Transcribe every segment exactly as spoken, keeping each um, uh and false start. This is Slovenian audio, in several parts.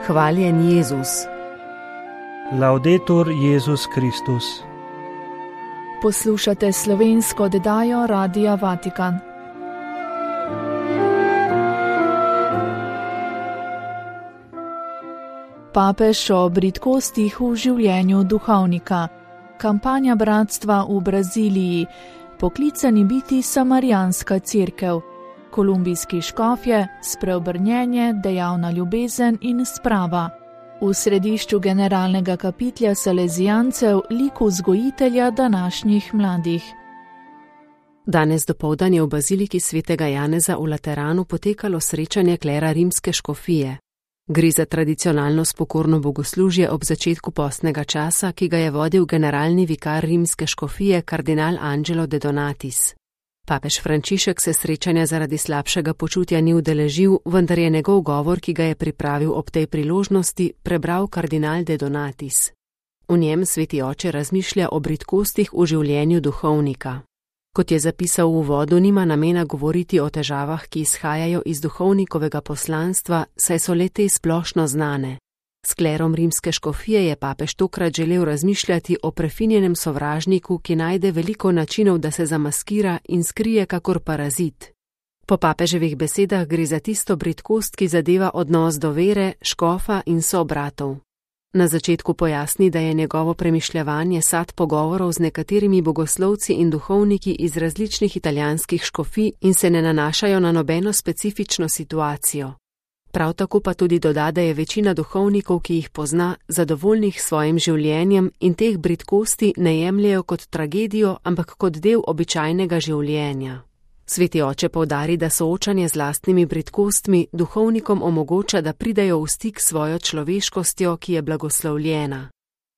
Hvaljen Jezus. Laudetur Jezus Kristus. Poslušate slovensko oddajo Radia Vatikan. Papež o bridkostih v življenju duhovnika. Kampanja bratstva v Braziliji. Poklicani biti samarijanska cerkev. Kolumbijski škofje, spreobrnjenje, dejavna ljubezen in sprava. V središču generalnega kapitlja Salezijancev lik vzgojitelja današnjih mladih. Danes dopoldan je v baziliki svetega Janeza v Lateranu potekalo srečanje klera rimske škofije. Gre za tradicionalno spokorno bogoslužje ob začetku postnega časa, ki ga je vodil generalni vikar rimske škofije kardinal Angelo de Donatis. Papež Frančišek se srečanja zaradi slabšega počutja ni udeležil, vendar je njegov govor, ki ga je pripravil ob tej priložnosti, prebral kardinal de Donatis. V njem sveti oče razmišlja o bridkostih v življenju duhovnika. Kot je zapisal v uvodu, nima namena govoriti o težavah, ki izhajajo iz duhovnikovega poslanstva, saj so le te splošno znane. S klerom rimske škofije je papež tokrat želel razmišljati o prefinjenem sovražniku, ki najde veliko načinov, da se zamaskira in skrije kakor parazit. Po papeževih besedah gre za tisto bridkost, ki zadeva odnos do vere, škofa in sobratov. Na začetku pojasni, da je njegovo premišljevanje sad pogovorov z nekaterimi bogoslovci in duhovniki iz različnih italijanskih škofij in se ne nanašajo na nobeno specifično situacijo. Prav tako pa tudi doda, da je večina duhovnikov, ki jih pozna, zadovoljnih s svojim življenjem in teh bridkosti ne jemljejo kot tragedijo, ampak kot del običajnega življenja. Sveti oče poudari, da soočanje z lastnimi bridkostmi duhovnikom omogoča, da pridejo v stik s svojo človeškostjo, ki je blagoslovljena.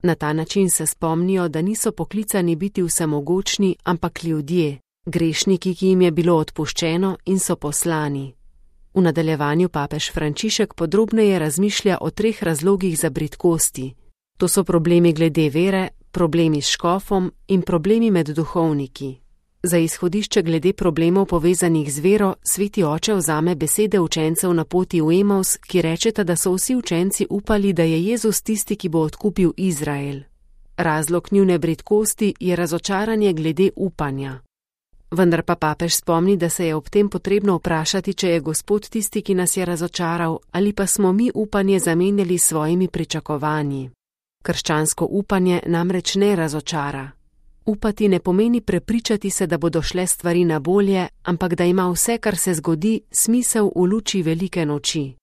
Na ta način se spomnijo, da niso poklicani biti vsemogočni, ampak ljudje, grešniki, ki jim je bilo odpuščeno in so poslani. V nadaljevanju papež Frančišek podrobneje razmišlja o treh razlogih za bridkosti. To so problemi glede vere, problemi s škofom in problemi med duhovniki. Za izhodišče glede problemov povezanih z vero, sveti oče vzame besede učencev na poti v Emaus, ki rečeta, da so vsi učenci upali, da je Jezus tisti, ki bo odkupil Izrael. Razlog njune bridkosti je razočaranje glede upanja. Vendar pa papež spomni, da se je ob tem potrebno vprašati, če je Gospod tisti, ki nas je razočaral, ali pa smo mi upanje zamenjali s svojimi pričakovanji. Krščansko upanje namreč ne razočara. Upati ne pomeni prepričati se, da bodo šle stvari na bolje, ampak da ima vse, kar se zgodi, smisel v luči velike noči.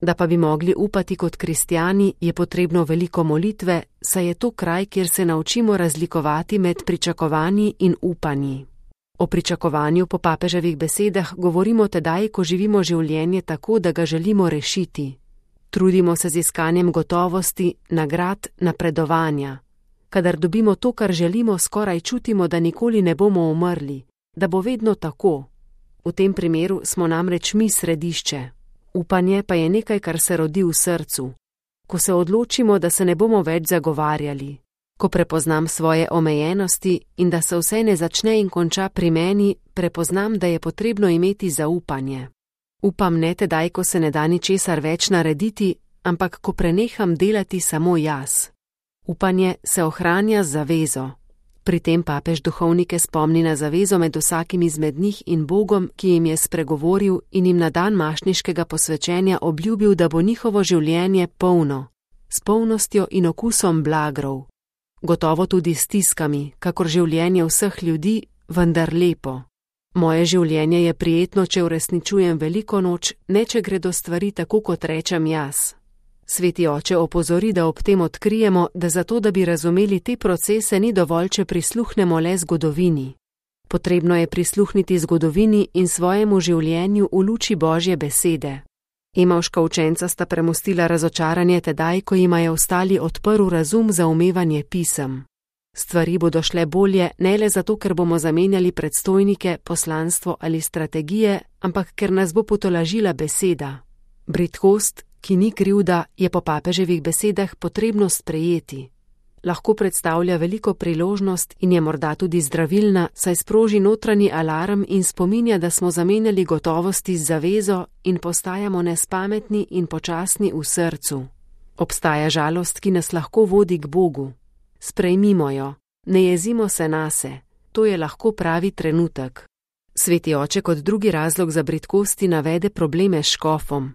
Da pa bi mogli upati kot kristjani, je potrebno veliko molitve, saj je to kraj, kjer se naučimo razlikovati med pričakovanji in upanji. O pričakovanju po papeževih besedah govorimo tedaj, ko živimo življenje tako, da ga želimo rešiti. Trudimo se z iskanjem gotovosti, nagrad, napredovanja. Kadar dobimo to, kar želimo, skoraj čutimo, da nikoli ne bomo umrli, da bo vedno tako. V tem primeru smo namreč mi središče. Upanje pa je nekaj, kar se rodi v srcu. Ko se odločimo, da se ne bomo več zagovarjali, ko prepoznam svoje omejenosti in da se vse ne začne in konča pri meni, prepoznam, da je potrebno imeti zaupanje. Upam ne tedaj, ko se ne da ničesar več narediti, ampak ko preneham delati samo jaz. Upanje se ohranja z zavezo. Pri tem papež duhovnike spomni na zavezo med vsakim izmed njih in Bogom, ki jim je spregovoril in jim na dan mašniškega posvečenja obljubil, da bo njihovo življenje polno, s polnostjo in okusom blagrov. Gotovo tudi s stiskami, kakor življenje vseh ljudi, vendar lepo. Moje življenje je prijetno, če uresničujem veliko noč, ne če gredo stvari tako, kot rečem jaz. Sveti oče opozori, da ob tem odkrijemo, da zato, da bi razumeli te procese, ni dovolj, če prisluhnemo le zgodovini. Potrebno je prisluhniti zgodovini in svojemu življenju v luči Božje besede. Emavška učenca sta premostila razočaranje tedaj, ko jima je ostali odprl razum za umevanje pisem. Stvari bodo šle bolje ne le zato, ker bomo zamenjali predstojnike, poslanstvo ali strategije, ampak ker nas bo potolažila beseda. Bridkost, ki ni krivda, je po papeževih besedah potrebno sprejeti. Lahko predstavlja veliko priložnost in je morda tudi zdravilna, saj sproži notranji alarm in spominja, da smo zamenjali gotovosti z zavezo in postajamo nespametni in počasni v srcu. Obstaja žalost, ki nas lahko vodi k Bogu. Sprejmimo jo, ne jezimo se nase, to je lahko pravi trenutek. Sveti oče kot drugi razlog za bridkosti navede probleme s škofom.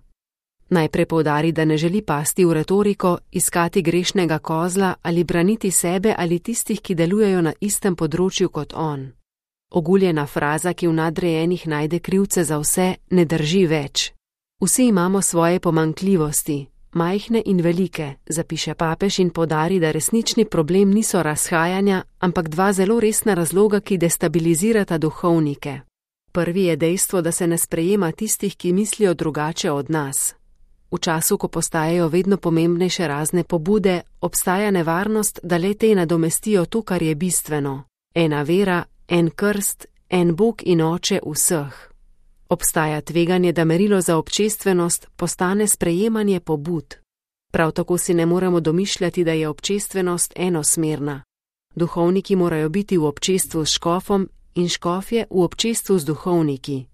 Najprej poudari, da ne želi pasti v retoriko, iskati grešnega kozla ali braniti sebe ali tistih, ki delujejo na istem področju kot on. Oguljena fraza, ki v nadrejenih najde krivce za vse, ne drži več. Vsi imamo svoje pomanjkljivosti, majhne in velike, zapiše papež in poudari, da resnični problem niso razhajanja, ampak dva zelo resna razloga, ki destabilizirata duhovnike. Prvi je dejstvo, da se ne sprejema tistih, ki mislijo drugače od nas. V času, ko postajajo vedno pomembnejše razne pobude, obstaja nevarnost, da le te nadomestijo to, kar je bistveno. Ena vera, en krst, en Bog in Oče vseh. Obstaja tveganje, da merilo za občestvenost postane sprejemanje pobud. Prav tako si ne moremo domišljati, da je občestvenost enosmerna. Duhovniki morajo biti v občestvu s škofom in škofje v občestvu z duhovniki.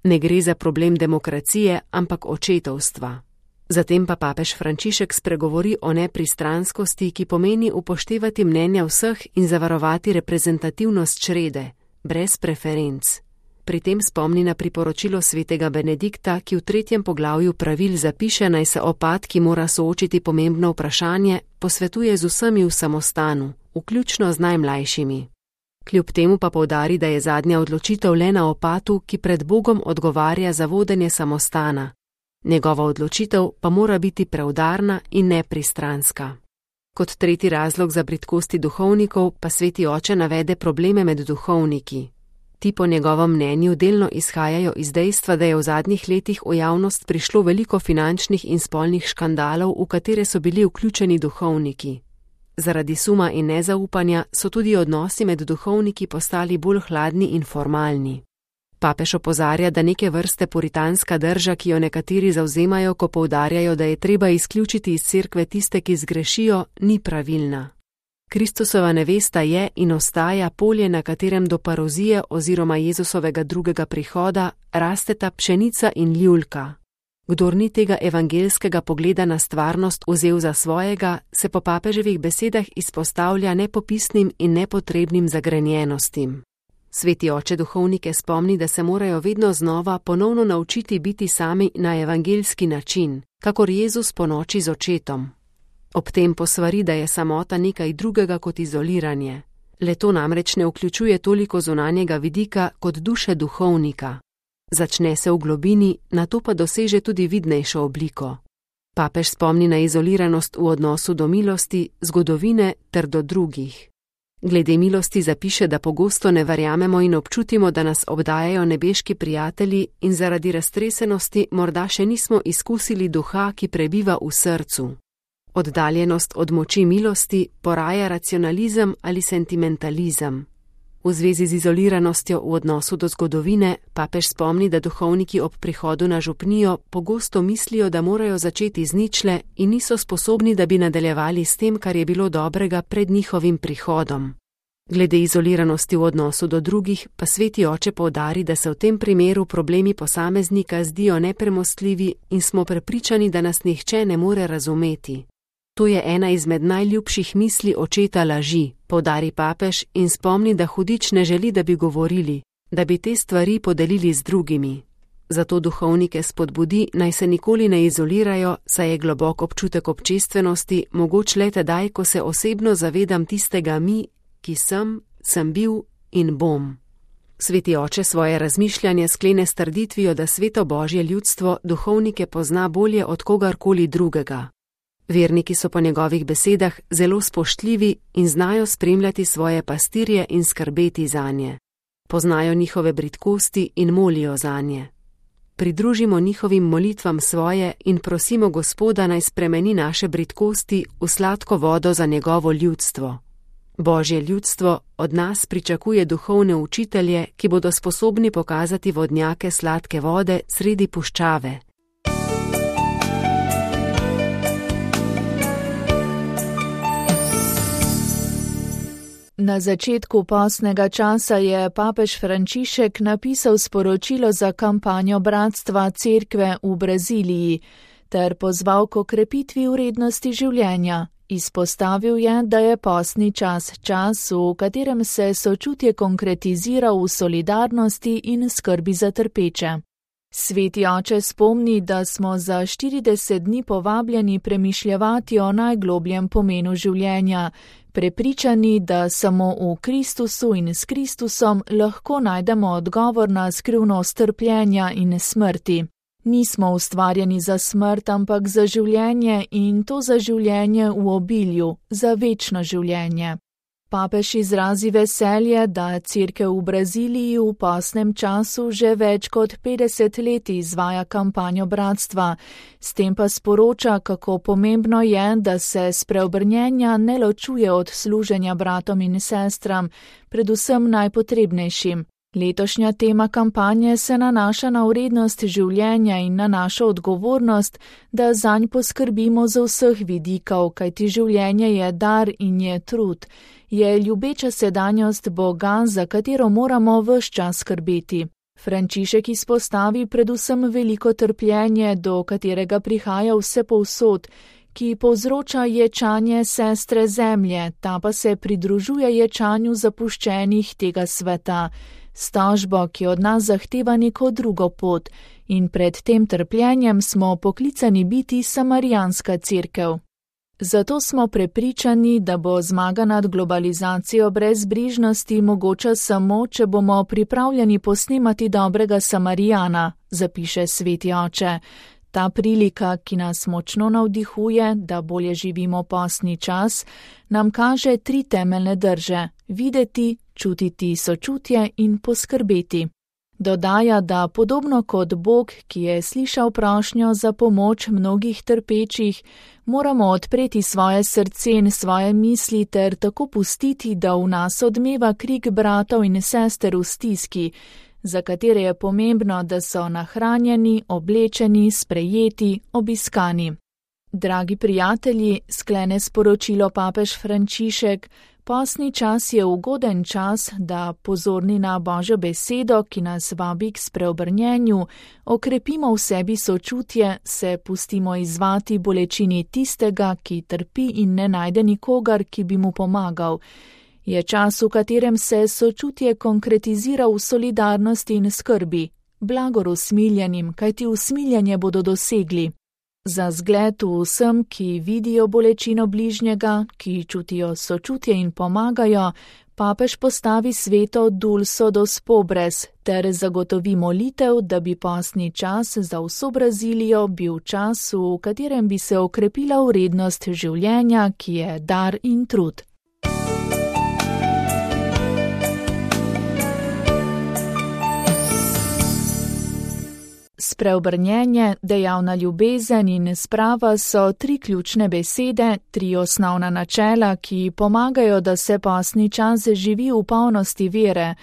Ne gre za problem demokracije, ampak očetovstva. Zatem pa papež Frančišek spregovori o nepristranskosti, ki pomeni upoštevati mnenja vseh in zavarovati reprezentativnost črede, brez preferenc. Pri tem spomni na priporočilo svetega Benedikta, ki v tretjem poglavju pravil zapiše, naj se opat, ki mora soočiti pomembno vprašanje, posvetuje z vsemi v samostanu, vključno z najmlajšimi. Kljub temu pa poudari, da je zadnja odločitev le na opatu, ki pred Bogom odgovarja za vodenje samostana. Njegova odločitev pa mora biti preudarna in nepristranska. Kot tretji razlog za bridkosti duhovnikov pa sveti oče navede probleme med duhovniki. Ti po njegovem mnenju delno izhajajo iz dejstva, da je v zadnjih letih v javnost prišlo veliko finančnih in spolnih škandalov, v katere so bili vključeni duhovniki. Zaradi suma in nezaupanja so tudi odnosi med duhovniki postali bolj hladni in formalni. Papež opozarja, da neke vrste puritanska drža, ki jo nekateri zavzemajo, ko poudarjajo, da je treba izključiti iz cerkve tiste, ki zgrešijo, ni pravilna. Kristusova nevesta je in ostaja polje, na katerem do parozije oziroma Jezusovega drugega prihoda rasteta pšenica in ljulka. Kdor ni tega evangelskega pogleda na stvarnost vzel za svojega, se po papeževih besedah izpostavlja nepopisnim in nepotrebnim zagrenjenostim. Sveti oče duhovnike spomni, da se morajo vedno znova ponovno naučiti biti sami na evangelski način, kakor Jezus ponoči z očetom. Ob tem posvari, da je samota nekaj drugega kot izoliranje. Le to namreč ne vključuje toliko zunanjega vidika kot duše duhovnika. Začne se v globini, nato pa doseže tudi vidnejšo obliko. Papež spomni na izoliranost v odnosu do milosti, zgodovine ter do drugih. Glede milosti zapiše, da pogosto ne verjamemo in občutimo, da nas obdajajo nebeški prijatelji in zaradi raztresenosti morda še nismo izkusili duha, ki prebiva v srcu. Oddaljenost od moči milosti poraja racionalizem ali sentimentalizem. V zvezi z izoliranostjo v odnosu do zgodovine papež spomni, da duhovniki ob prihodu na župnijo pogosto mislijo, da morajo začeti z ničle in niso sposobni, da bi nadaljevali s tem, kar je bilo dobrega pred njihovim prihodom. Glede izoliranosti v odnosu do drugih pa sveti oče poudari, da se v tem primeru problemi posameznika zdijo nepremostljivi in smo prepričani, da nas nihče ne more razumeti. To je ena izmed najljubših misli očeta laži, poudari papež in spomni, da hudič ne želi, da bi govorili, da bi te stvari podelili z drugimi. Zato duhovnike spodbudi, naj se nikoli ne izolirajo, saj je globok občutek občestvenosti mogoč le tedaj, ko se osebno zavedam tistega mi, ki sem, sem bil in bom. Sveti oče svoje razmišljanje sklene s trditvijo, da sveto Božje ljudstvo duhovnike pozna bolje od kogarkoli drugega. Verniki so po njegovih besedah zelo spoštljivi in znajo spremljati svoje pastirje in skrbeti zanje. Poznajo njihove bridkosti in molijo zanje. Pridružimo njihovim molitvam svoje in prosimo Gospoda, naj spremeni naše bridkosti v sladko vodo za njegovo ljudstvo. Božje ljudstvo od nas pričakuje duhovne učitelje, ki bodo sposobni pokazati vodnjake sladke vode sredi puščave. Na začetku postnega časa je papež Frančišek napisal sporočilo za kampanjo Bratstva Cerkve v Braziliji. ter pozval k okrepitvi vrednosti življenja. Izpostavil je, da je postni čas čas, v katerem se sočutje konkretizira v solidarnosti in skrbi za trpeče. Sveti oče spomni, da smo za štirideset dni povabljeni premišljevati o najglobljem pomenu življenja, prepričani, da samo v Kristusu in s Kristusom lahko najdemo odgovor na skrivnost trpljenja in smrti. Nismo ustvarjeni za smrt, ampak za življenje in to za življenje v obilju, za večno življenje. Papež izrazi veselje, da Cerkev v Braziliji v postnem času že več kot petdeset let izvaja kampanjo bratstva, s tem pa sporoča, kako pomembno je, da se spreobrnjenja ne ločuje od služenja bratom in sestram, predvsem najpotrebnejšim. Letošnja tema kampanje se nanaša na vrednost življenja in na našo odgovornost, da zanj poskrbimo z vseh vidikov, kajti življenje je dar in je trud, je ljubeča sedanjost Boga, za katero moramo ves čas skrbeti. Frančišek izpostavi predvsem veliko trpljenje, do katerega prihaja vse povsod, ki povzroča ječanje sestre zemlje, ta pa se pridružuje ječanju zapuščenih tega sveta. S tožbo, ki od nas zahteva neko drugo pot, in pred tem trpljenjem smo poklicani biti samarijanska cerkev. Zato smo prepričani, da bo zmaga nad globalizacijo brezbrižnosti mogoča samo, če bomo pripravljeni posnemati dobrega Samarijana, zapiše sveti oče. Ta prilika, ki nas močno navdihuje, da bolje živimo postni čas, nam kaže tri temeljne drže: videti, čutiti sočutje in poskrbeti. Dodaja, da podobno kot Bog, ki je slišal prošnjo za pomoč mnogih trpečih, moramo odpreti svoje srce in svoje misli ter tako pustiti, da v nas odmeva krik bratov in sester v stiski, za katere je pomembno, da so nahranjeni, oblečeni, sprejeti, obiskani. Dragi prijatelji, sklene sporočilo papež Frančišek, postni čas je ugoden čas, da pozorni na Božjo besedo, ki nas vabi k spreobrnjenju, okrepimo v sebi sočutje, se pustimo izzvati bolečini tistega, ki trpi in ne najde nikogar, ki bi mu pomagal. Je čas, v katerem se sočutje konkretizira v solidarnosti in skrbi. Blagor usmiljenim, kajti usmiljanje bodo dosegli. Za zgled vsem, ki vidijo bolečino bližnjega, ki čutijo sočutje in pomagajo, papež postavi sveto Dulso dos Pobres ter zagotovi molitev, da bi postni čas za vso Brazilijo bil čas, v katerem bi se okrepila vrednost življenja, ki je dar in trud. Spreobrnjenje, dejavna ljubezen in sprava so tri ključne besede, tri osnovna načela, ki pomagajo, da se postni čas živi v polnosti vere.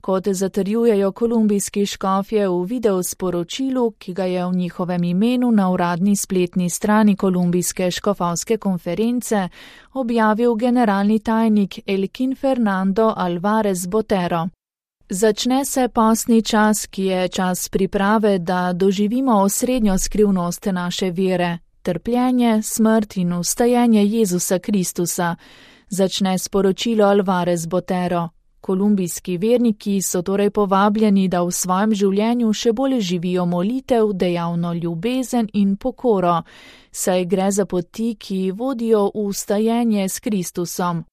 Kot zatrjujejo kolumbijski škofje v videosporočilu, ki ga je v njihovem imenu na uradni spletni strani kolumbijske škofovske konference objavil generalni tajnik Elkin Fernando Alvarez Botero. Začne se postni čas, ki je čas priprave, da doživimo osrednjo skrivnost naše vere, trpljenje, smrt in vstajenje Jezusa Kristusa. Začne sporočilo Alvarez Botero. Kolumbijski verniki so torej povabljeni, da v svojem življenju še bolj živijo molitev, dejavno ljubezen in pokoro, saj gre za poti, ki vodijo v vstajenje s Kristusom.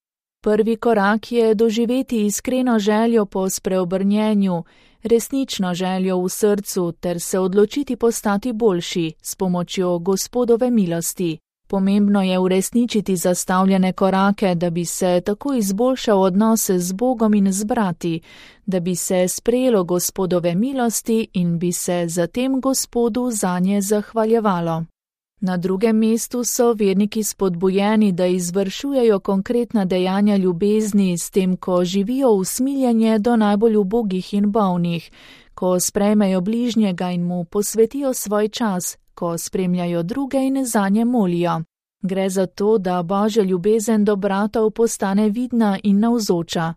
Prvi korak je doživeti iskreno željo po spreobrnjenju, resnično željo v srcu ter se odločiti postati boljši s pomočjo Gospodove milosti. Pomembno je uresničiti zastavljene korake, da bi se tako izboljšal odnos z Bogom in z brati, da bi se sprejelo Gospodove milosti in bi se zatem Gospodu zanje zahvaljevalo. Na drugem mestu so verniki spodbujeni, da izvršujejo konkretna dejanja ljubezni s tem, ko živijo usmiljenje do najbolj ubogih in bolnih, ko sprejmejo bližnjega in mu posvetijo svoj čas, ko spremljajo druge in zanje molijo. Gre za to, da Božja ljubezen do bratov postane vidna in navzoča.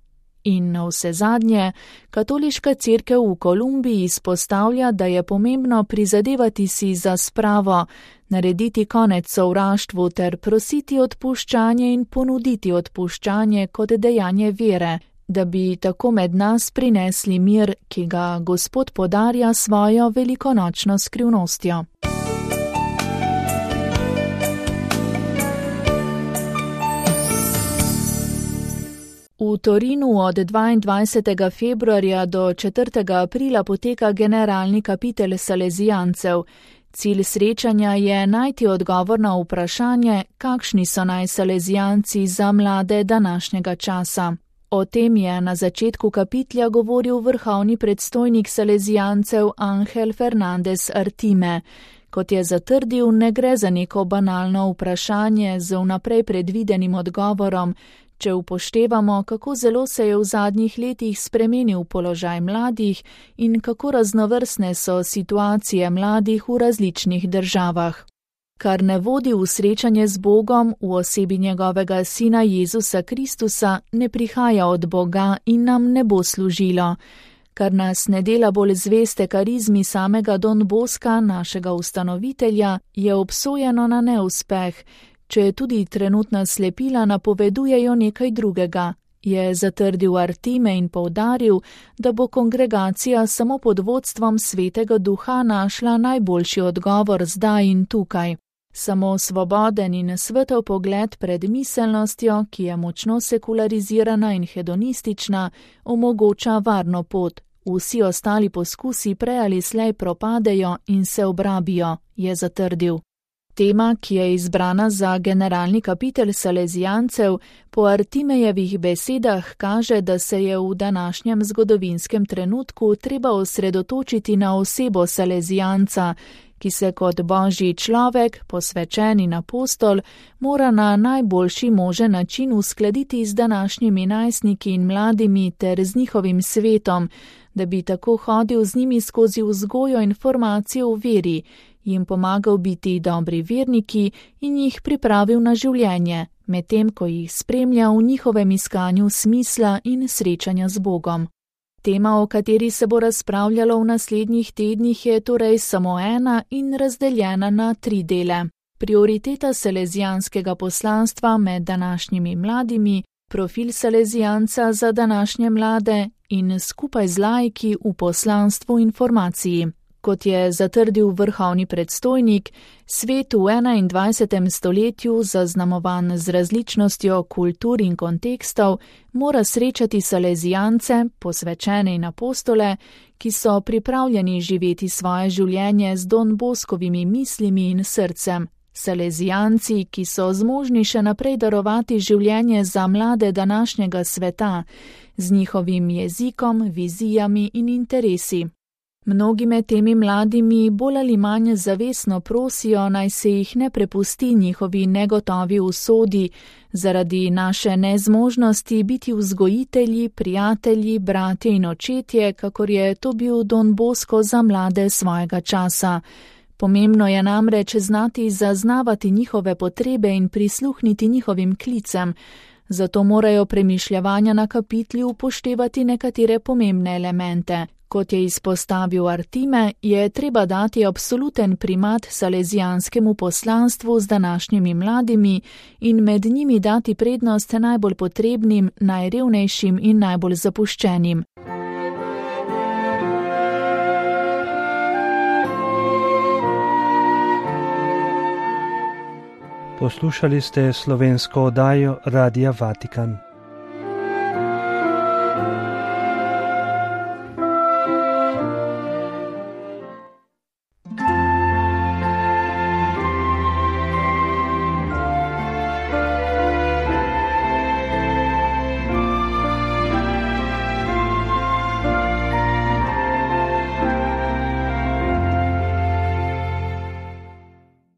In navsezadnje, katoliška cerkev v Kolumbiji izpostavlja, da je pomembno prizadevati si za spravo, narediti konec sovraštvu ter prositi odpuščanje in ponuditi odpuščanje kot dejanje vere, da bi tako med nas prinesli mir, ki ga Gospod podarja svojo velikonočno skrivnostjo. V Torinu od dvaindvajsetega februarja do četrtega aprila poteka generalni kapitel salezijancev. Cilj srečanja je najti odgovor na vprašanje, kakšni so naj salezijanci za mlade današnjega časa. O tem je na začetku kapitla govoril vrhovni predstojnik salezijancev Ángel Fernández Artime. Kot je zatrdil, ne gre za neko banalno vprašanje z vnaprej predvidenim odgovorom, če upoštevamo, kako zelo se je v zadnjih letih spremenil položaj mladih in kako raznovrstne so situacije mladih v različnih državah. Kar ne vodi v srečanje z Bogom v osebi njegovega sina Jezusa Kristusa, ne prihaja od Boga in nam ne bo služilo. Kar nas ne dela bolj zveste karizmi samega Don Boska, našega ustanovitelja, je obsojeno na neuspeh, če tudi trenutna slepila napovedujejo nekaj drugega, je zatrdil Artime in poudaril, da bo kongregacija samo pod vodstvom Svetega Duha našla najboljši odgovor zdaj in tukaj. Samo svoboden in svetel pogled pred miselnostjo, ki je močno sekularizirana in hedonistična, omogoča varno pot. Vsi ostali poskusi prej ali slej propadejo in se obrabijo, je zatrdil. Tema, ki je izbrana za generalni kapitel salezijancev, po Artimejevih besedah kaže, da se je v današnjem zgodovinskem trenutku treba osredotočiti na osebo salezijanca, ki se kot božji človek, posvečen in apostol, mora na najboljši možen način uskladiti z današnjimi najstniki in mladimi ter z njihovim svetom, da bi tako hodil z njimi skozi vzgojo in formacijo v veri, jim pomagal biti dobri verniki in jih pripravil na življenje, medtem ko jih spremlja v njihovem iskanju smisla in srečanja z Bogom. Tema, o kateri se bo razpravljalo v naslednjih tednih, je torej samo ena in razdeljena na tri dele. Prioriteta salezijanskega poslanstva med današnjimi mladimi, profil salezijanca za današnje mlade in skupaj z laiki v poslanstvu in formaciji. Kot je zatrdil vrhovni predstojnik, svet v enaindvajsetem stoletju, zaznamovan z različnostjo kultur in kontekstov, mora srečati salezijance, posvečene in apostole, ki so pripravljeni živeti svoje življenje z Don Boskovimi mislimi in srcem. Salezijanci, ki so zmožni še naprej darovati življenje za mlade današnjega sveta, z njihovim jezikom, vizijami in interesi. Mnogi med temi mladimi bolj ali manj zavestno prosijo, naj se jih ne prepusti njihovi negotovi usodi, zaradi naše nezmožnosti biti vzgojitelji, prijatelji, bratje in očetje, kakor je to bil Don Bosco za mlade svojega časa. Pomembno je namreč znati zaznavati njihove potrebe in prisluhniti njihovim klicem, zato morajo premišljevanja na kapitli upoštevati nekatere pomembne elemente. Kot je izpostavil Artime, je treba dati absoluten primat salezijanskemu poslanstvu z današnjimi mladimi in med njimi dati prednost najbolj potrebnim, najrevnejšim in najbolj zapuščenim. Poslušali ste slovensko oddajo Radia Vatikan.